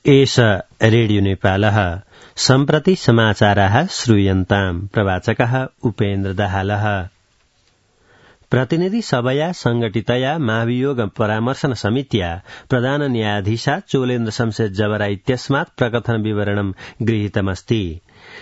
एष रेडियो नेपालः सम्प्रति समाचाराः श्रूयन्ताम् प्रवाचकः उपेन्द्र दाहालः प्रतिनिधि सभया संगठितया महाभियोग परामर्शन समित्या प्रधान न्यायाधीशा चोलेन्द्र शमशेर जबरा इत्यस्मात् प्रकथन विवरणं गृहीतमस्ति।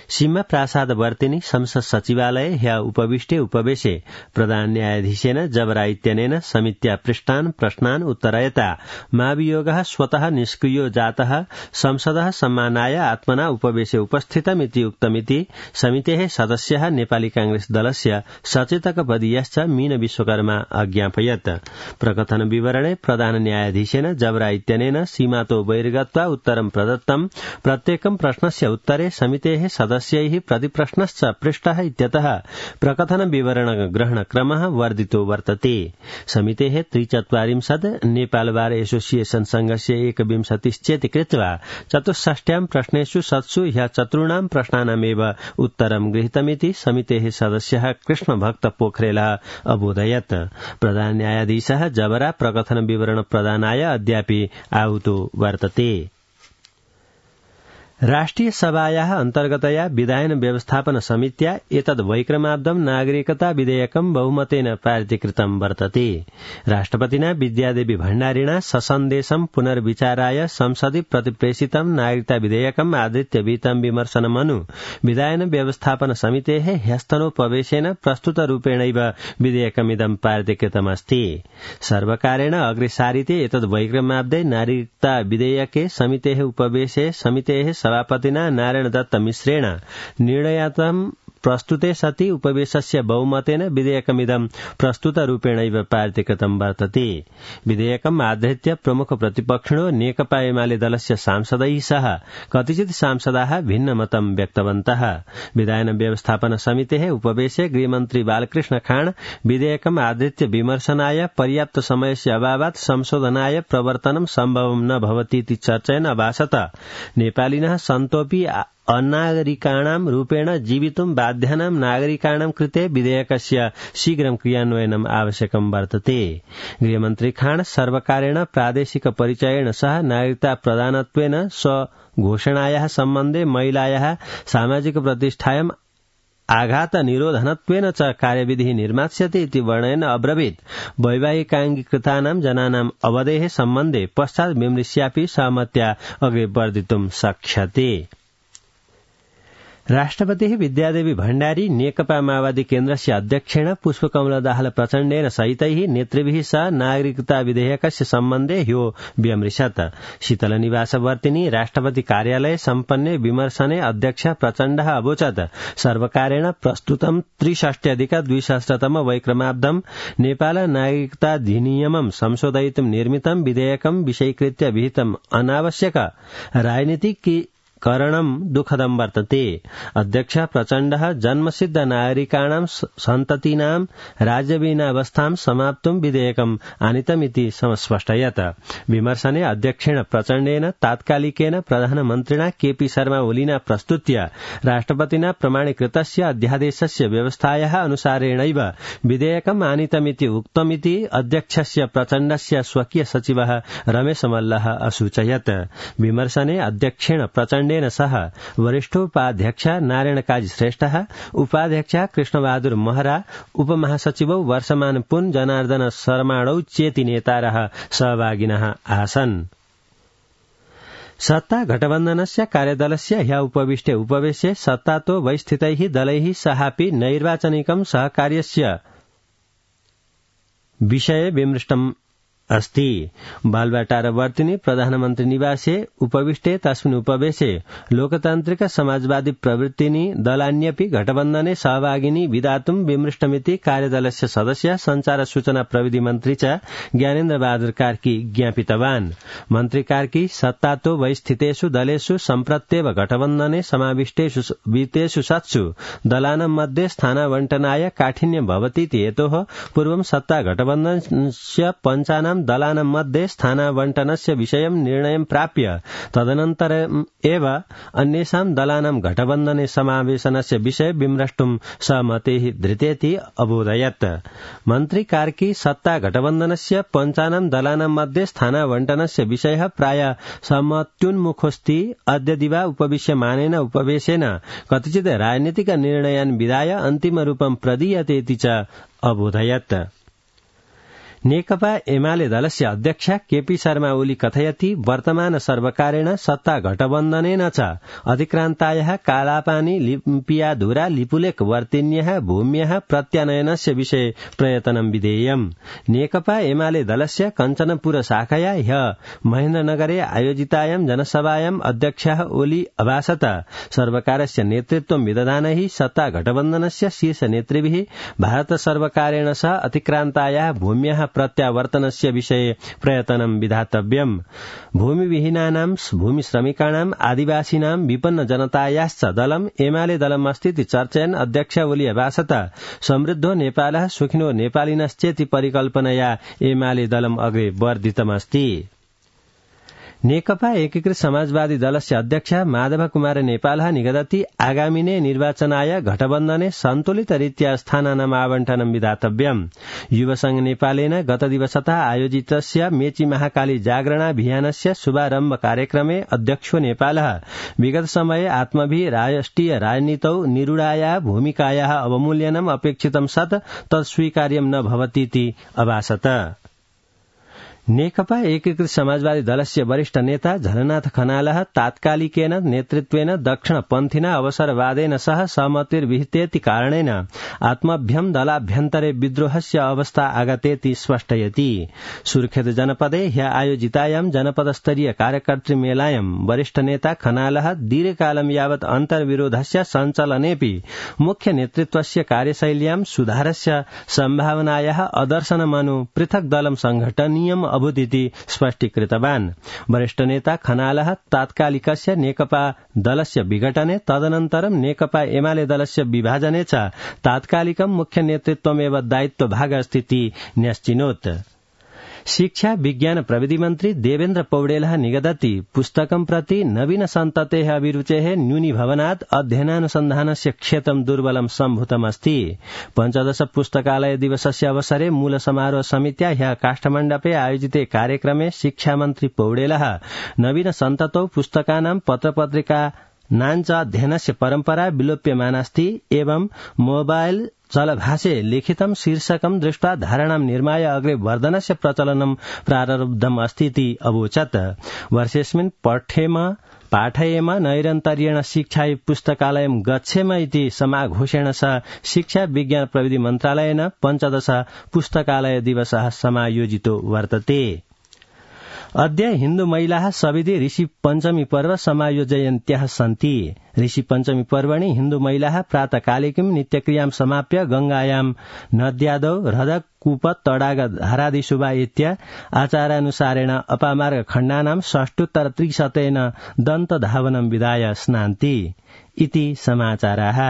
सीमा प्रासाद वर्तिनी संसद सचिवालये ह्य उपविष्टे उपवेशे प्रधान न्यायाधीशेन जबरा इत्यनेन समित्या पृष्टान् प्रश्नान् उत्तरयता महाभियोगः स्वतः निष्क्रियो जातः संसदः सम्मानाय आत्मना उपवेशे उपस्थितमिति उक्तमिति समितेः सदस्यः नेपाली कांग्रेस दलस्य सचेतकपदीयश्च मीन विश्वकर्मा अज्ञापयत्। प्रकथन विवरणे प्रधान न्यायाधीशेन जबरा इत्यनेन सीमातो बहिर्गत्वा उत्तरं प्रदत्तम्। प्रत्येकं प्रश्नस्य उत्तरे समितेः सदस्यैः प्रतिप्रश्नश्च पृष्टः इत्यतः प्रकथन विवरण ग्रहणक्रमः वर्धितो वर्तते। समितेः 43 नेपाल बार एसोसिएशन संघस्य 21 कृत्वा 64 प्रश्नेषु सत्सु ह्य चतुर्णां प्रश्नानामेव उत्तरं गृहीतमिति समितेः सदस्यः कृष्णभक्त पोखरेलः अबोधयत्। प्रधान न्यायाधीशः जबरा प्रकथन विवरण प्रदानाय अद्यापि आहुतो वर्तते। राष्ट्रिय सभायाः अन्तर्गतया विधायन व्यवस्थापन समित्या एतद् वैक्रमाब्दं नागरिकता विधेयकं बहुमतेन पारितीकृतं वर्तते। राष्ट्रपतिना विद्यादेवी भण्डारिणा ससन्देशं पुनर्विचाराय संसदि प्रतिप्रेषितं नागरिकता विधेयकम् आधृत्य विहितं विमर्शनमनु विधायन व्यवस्थापन समितेः ह्यस्तनोपवेशेन प्रस्तुतरूपेणैव विधेयकमिदं पारितीकृतमस्ति। सर्वकारेण अग्रे सारिते एतद् वैक्रमाब्दे नागरिकता विधेयके समितेः उपवेशे समितेः सभापतिना नारायण दत्त मिश्रेण निर्णयार्थं प्रस्तुते सति उपवेशस्य बहुमतेन विधेयकमिदं प्रस्तुतरूपेणैव पारितीकृतं वर्तते। विधेयकम् आधृत्य प्रमुख प्रतिपक्षिणो नेकपा एमाले दलस्य सांसदैः सह कतिचित् सांसदाः भिन्नमतं व्यक्तवन्तः। विधायन व्यवस्थापन समितेः उपवेशे गृहमन्त्री बालकृष्ण खाँड विधेयकम् आधृत्य विमर्शनाय पर्याप्त समयस्य अभावात् संशोधनाय प्रवर्तनं सम्भवं न भवतीति चर्चयन् अभाषत। नेपालिनः सन्तोऽपि अनागरिकाणां रूपेण जीवितुं बाध्यानां नागरिकाणां कृते विधेयकस्य शीघ्रं क्रियान्वयनम् आवश्यकं वर्तते। गृहमन्त्री खाँड सर्वकारेण प्रादेशिक परिचयेन सह नागरिकता प्रदानत्वेन स्वघोषणायाः सम्बन्धे महिलायाः सामाजिक प्रतिष्ठायाम् आघात निरोधनत्वेन च कार्यविधिः निर्मास्यते इति वर्णयन् अब्रवीत्। वैवाहिकाङ्गीकृतानां जनानाम् अवधेः सम्बन्धे पश्चात् विमृश्यापि सहमत्या अग्रे वर्धितुं शक्यते। राष्ट्रपतिः विद्यादेवी भण्डारी नेकपा माओवादी केन्द्रस्य अध्यक्षेण पुष्पकमल दाहाल प्रचण्डेन सहितैः नेतृभिः सह नागरिकता विधेयकस्य सम्बन्धे ह्यो व्यमृशत्। शीतलनिवासवर्तिनी राष्ट्रपति कार्यालये सम्पन्ने विमर्शने अध्यक्ष प्रचण्डः अवोचत् सर्वकारेण प्रस्तुतं 63-2000तम वैक्रमाब्दं नेपाल नागरिकताधिनियमं संशोधयितुं निर्मितं विधेयकं विषयीकृत्य विहितम् अनावश्यक राजनीतिक करणं दुःखदं वर्तते। अध्यक्ष प्रचण्डः जन्मसिद्ध नागरिकाणां सन्ततीनां राज्यविहीनावस्थां समाप्तुं विधेयकम् आनीतमिति स्पष्टयत्। विमर्शने अध्यक्षेण प्रचण्डेन तात्कालिकेन प्रधानमन्त्रिणा केपी शर्मा ओलीना प्रस्तुत्य राष्ट्रपतिना प्रमाणीकृतस्य अध्यादेशस्य व्यवस्थायाः अनुसारेणैव विधेयकम् आनीतमिति उक्तमिति अध्यक्षस्य प्रचण्डस्य स्वकीय सचिवः रमेश मल्लः असूचयत्। विमर्शने अध्यक्षेण प्रचण्ड सह वरिष्ठोपाध्यक्ष नारायण काजी श्रेष्ठः, उपाध्यक्ष कृष्णबहादुर महरा, उपमहासचिवौ वर्षमान पुन जनार्दन शर्माणौ चेति नेतारः सहभागिनः आसन्। सत्ता गठबन्धनस्य कार्यदलस्य ह्य उपविष्टे उपवेशे सत्तातो वैस्थितैः दलैः सहापि नैर्वाचनिकं सहकार्यस्य विषये विमृष्टम् अस्ति। बालवाटारवर्तिनी प्रधानमन्त्री निवासे उपविष्टे तस्मिन् उपवेशे लोकतान्त्रिक समाजवादी प्रवृत्तिनी दलान्यपि गठबन्धने सहभागिनी विधातुं विमृष्टमिति कार्यदलस्य सदस्य संचार सूचना प्रविधि मन्त्री च ज्ञानेन्द्र बहादुर कार्की ज्ञापितवान्। मन्त्री कार्की सत्तातो वैस्थितेषु दलेषु सम्प्रत्येव गठबन्धने समाविष्टेषु वित्तेषु सत्सु दलानां मध्ये स्थानावण्टनाय काठिन्यं भवतीति हेतोः पूर्वं सत्ता गठबन्धनस्य पञ्चानां पञ्चानां दलानां मध्ये स्थानावण्टनस्य विषयं निर्णयं प्राप्य तदनन्तरम् एव अन्येषां दलानां घटबन्धने समावेशनस्य विषये विमृष्टुं सहमतिः धृतेति अबोधयत्। मन्त्री कार्की सत्ता घटबन्धनस्य पञ्चानां दलानां मध्ये स्थानावण्टनस्य विषयः प्राय सहमत्युन्मुखोऽस्ति। अद्य दिवा उपविश्यमानेन उपवेशेन कतिचित् राजनीतिक निर्णयान् विधाय अन्तिमरूपं प्रदीयतेति च अबोधयत्। नेकपा एमाले दलस्य अध्यक्ष केपी शर्मा ओली कथयति वर्तमान सर्वकारेण सत्ता घटबन्धनेन च अतिक्रान्तायाः कालापानी लिम्पियाधुरा लिपुलेख वर्तिन्यः भूम्यः प्रत्यानयनस्य विषये प्रयत्नं विधेयम्। नेकपा एमाले दलस्य कञ्चनपुर शाखाया ह्यः महेन्द्रनगरे आयोजितायां जनसभायां अध्यक्षः ओली अभाषत सर्वकारस्य नेतृत्वं विदधानैः सत्ता घटबन्धनस्य शीर्ष नेतृभिः भारत सर्वकारेण सह अतिक्रान्तायाः भूम्यः प्रत्यावर्तनस्य विषये प्रयत्नं विधातव्यम्। भूमिविहीनानां भूमिश्रमिकाणां आदिवासीनां विपन्न जनतायाश्च दलम् एमाले दलम् अस्तीति चर्चयन् अध्यक्ष ओली अभाषत समृद्धो नेपालः सुखिनो नेपालिनश्चेति परिकल्पनया एमाले दलम् अग्रे वर्धितमस्ति। नेकपा एकीकृत समाजवादी दलस्य अध्यक्ष माधव कुमार नेपालः निगदति आगामिने निर्वाचनाय घटबन्धने सन्तुलितरीत्या स्थानानाम् आवण्टनं विधातव्यम्। युवसंघ नेपालेन गतदिवसतः आयोजितस्य मेची महाकाली जागरणाभियानस्य शुभारम्भ कार्यक्रमे अध्यक्षो नेपालः विगत समये आत्मभिः राष्ट्रिय राजनीतौ निरूढायाः भूमिकायाः अवमूल्यनम् अपेक्षितं सत् तत्स्वीकार्यं न भवतीति अभाषत। नेकपा एकीकृत समाजवादी दलस्य वरिष्ठ नेता झलनाथ खनालः तात्कालिकेन नेतृत्वेन दक्षिणपन्थिना अवसरवादेन सह सहमतिर्विहितेति कारणेन आत्मभ्यं दलाभ्यन्तरे विद्रोहस्य अवस्था आगतेति स्पष्टयति। सुर्खेत जनपदे ह्य आयोजितायां जनपदस्तरीय कार्यकर्तृमेलायां वरिष्ठ नेता खनालः दीर्घकालं यावत् अन्तर्विरोधस्य सञ्चालनेऽपि मुख्य नेतृत्वस्य कार्यशैल्यां सुधारस्य सम्भावनायाः अदर्शनमनु पृथक् दलं संघटनीयम् अभूदिति स्पष्टीकृतवान्। वरिष्ठ नेता खनालः तात्कालिकस्य नेकपा दलस्य विघटने तदनन्तरं नेकपा एमाले दलस्य विभाजने च तात्कालिकं मुख्य नेतृत्वमेव दायित्वभाग अस्तीति न्यश्चिनोत्। शिक्षा विज्ञान प्रविधि मन्त्री देवेन्द्र पौडेलः निगदति पुस्तकं प्रति नवीन सन्ततेः अभिरुचेः न्यूनीभवनात् अध्ययनानुसन्धानस्य क्षेत्रं दुर्बलं सम्भूतमस्ति। 15 पुस्तकालय दिवसस्य अवसरे मूल समारोह समित्या ह्यः काष्ठमण्डपे आयोजिते कार्यक्रमे शिक्षामन्त्री पौडेलः नवीन सन्ततौ पुस्तकानां पत्रपत्रिकानाञ्च अध्ययनस्य परम्परा विलोप्यमानास्ति एवं मोबाइल चलभाषे लिखितं शीर्षकं दृष्ट्वा धारणां निर्माय अग्रे वर्धनस्य प्रचलनं प्रारब्धम् अस्तीति अवोचत्। वर्षेऽस्मिन् पाठयेम नैरन्तर्येण शिक्षायै पुस्तकालयं गच्छेम इति समाघोषेण सह शिक्षा विज्ञान प्रविधि मन्त्रालयेन 15 पुस्तकालय दिवसः समायोजितो वर्तते। अद्य हिन्दू महिलाः सविधि ऋषि पञ्चमी पर्व समायोजयन्त्याः सन्ति। ऋषि पञ्चमी पर्वणि हिन्दू महिलाः प्रातःकालिकीं नित्यक्रियां समाप्य गंगायां नद्यादौ हृदक कूप तडाग धारादिशुभा इत्या आचारानुसारेण अपामार्ग खण्डानां षष्ठोत्तर 300 दन्तधावनं विधाय स्नान्ति इति समाचाराः।